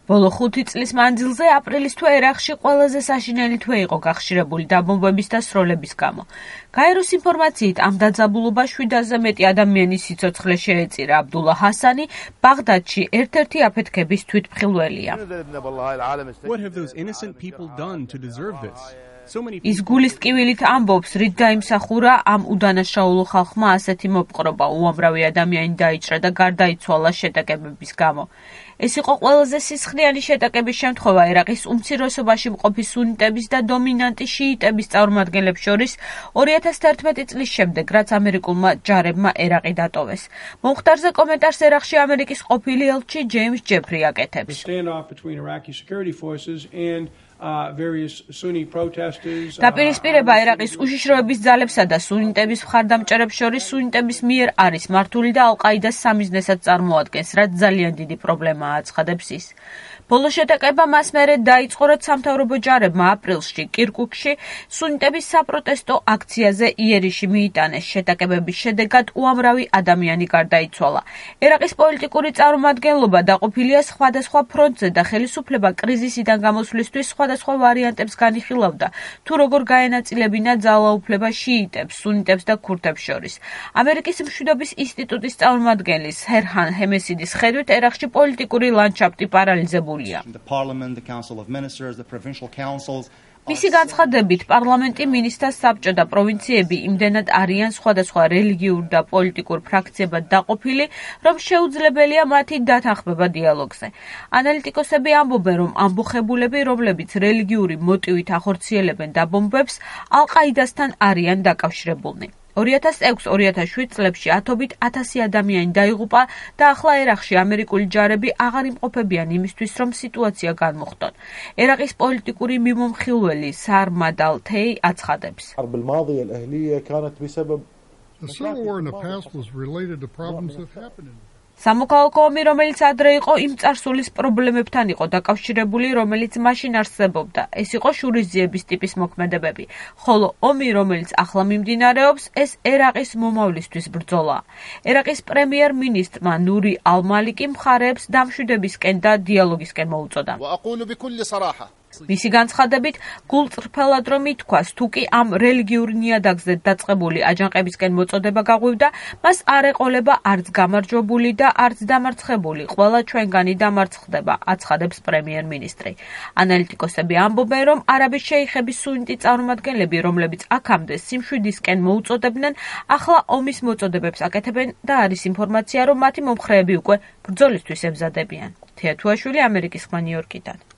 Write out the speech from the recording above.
ბოლო 5 წლის მანძილზე აპრილის თვე ერაყში ყველაზე საშინელი თვე იყო გახშირებული დაბომბვების და სროლების გამო. გაეროს ინფორმაციით ამ დაძაბულობა 700-ზე მეტი ადამიანის სიცოცხლე შეეწირა. აბდულა ჰასანი ბაღდადში ერთ-ერთი აფეთქების თვითმხილველია. ის გულის ტკივილით ამბობს, რით დაიმსახურა ამ უდანაშაულო ხალხმა ასეთი მოპყრობა, უამრავი ადამიანი დაიჭრა და გარდაიცვალა შეტაკებების გამო. ეს იყო ყველაზე სისხლიანი შეტაკების შემთხვევა ერაყის უმცირესობაში მყოფი სუნიტების და დომინანტი შიიტების წარმომადგენლებს შორის 2011 წლის შემდეგ, რაც ამერიკულმა ჯარებმა ერაყი დატოვეს. მომხდარზე კომენტარს ერაყში ამერიკის ყოფილი ელჩი ჯეიმს ჯეფრი აკეთებს. დაპირისპირება ერაყის უშიშროების ძალებსა და სუნიტების მხარდამჭერებს შორის სუნიტების მიერ არის მართული და ალ-ყაიდას სამიზნესად წარმოადგენს, რაც ძალიან დიდი პრობლემაა, აცხადებს ის. ბოლო შეტაკება მას მერე დაიწყო, რაც სამთავრობო ჯარებმა აპრილში კირკუკში სუნიტების საპროტესტო აქციაზე იერიში მიიტანეს. შეტაკებების შედეგად უამრავი ადამიანი გარდაიცვალა. ერაყის პოლიტიკური წარმომადგენლობა დაყოფილია სხვადასხვა ფრონტზე და ხელისუფლება კრიზისიდან გამოსვლისთვის სხვადასხვა ვარიანტებს განიხილავდა, თუ როგორ გაენაწილებინა ძალაუფლება შიიტებს, სუნიტებს და ქურთებს შორის. ამერიკის მშვიდობის ინსტიტუტის წარმომადგენლის ჰერჰან ჰემესიდის ხედვით, ერაყში პოლიტიკური ლანდშაფტი პარალიზებულია. მისი განცხადებით, პარლამენტი, მინისტრთა საბჭო და პროვინციები იმდენად არიან სხვადასხვა რელიგიურ და პოლიტიკურ ფრაქციებად დაყოფილი, რომ შეუძლებელია მათი დათანხმება დიალოგზე. ანალიტიკოსები ამბობენ, რომ ამბოხებულები, რომლებიც რელიგიური მოტივით ახორციელებენ დაბომბვებს, ალ-ყაიდასთან არიან დაკავშირებულნი. 2006-2007 წლებში ათობით 1000 ადამიანი დაიღუპა და ახლა ერაყში ამერიკული ჯარები აღარ იმყოფებიან იმისთვის, რომ სიტუაცია განმუხტონ. ერაყის პოლიტიკური მიმომხილველი სარმად ალ-თეი აცხადებს. სამოქალაქო ომი, რომელიც ადრე იყო, იმ წარსულის პრობლემებთან იყო დაკავშირებული, რომელიც მაშინ არსებობდა. ეს იყო შურისძიების ტიპის მოქმედებები, ხოლო ომი, რომელიც ახლა მიმდინარეობს, ეს ერაყის მომავლისთვის ბრძოლაა. ერაყის პრემიერ-მინისტრმა ნური ალ-მალიკი მხარეებს დამშვიდებისკენ და დიალოგისკენ მოუწოდა. მისი განცხადებით, გულწრფელად რომ ითქვას, თუ კი ამ რელიგიურ ნიადაგზე დაწყებული აჯანყებისკენ მოწოდება გაღვივდა, მას არ ეყოლება არც გამარჯვებული და არც დამარცხებული, ყველა ჩვენგანი დამარცხდება, აცხადებს პრემიერ-მინისტრი. ანალიტიკოსები ამბობენ, რომ არაბის შეიხების სუნიტი წარმომადგენლები, რომლებიც აქამდე სიმშვიდისკენ მოუწოდებდნენ, ახლა ომის მოწოდებებს აკეთებენ და არის ინფორმაცია, რომ მათი მომხრეები უკვე ბრძოლისთვის ემზადებიან. თეა თუაშვილი, ამერიკის ხმა, ნიუ-იორკიდან.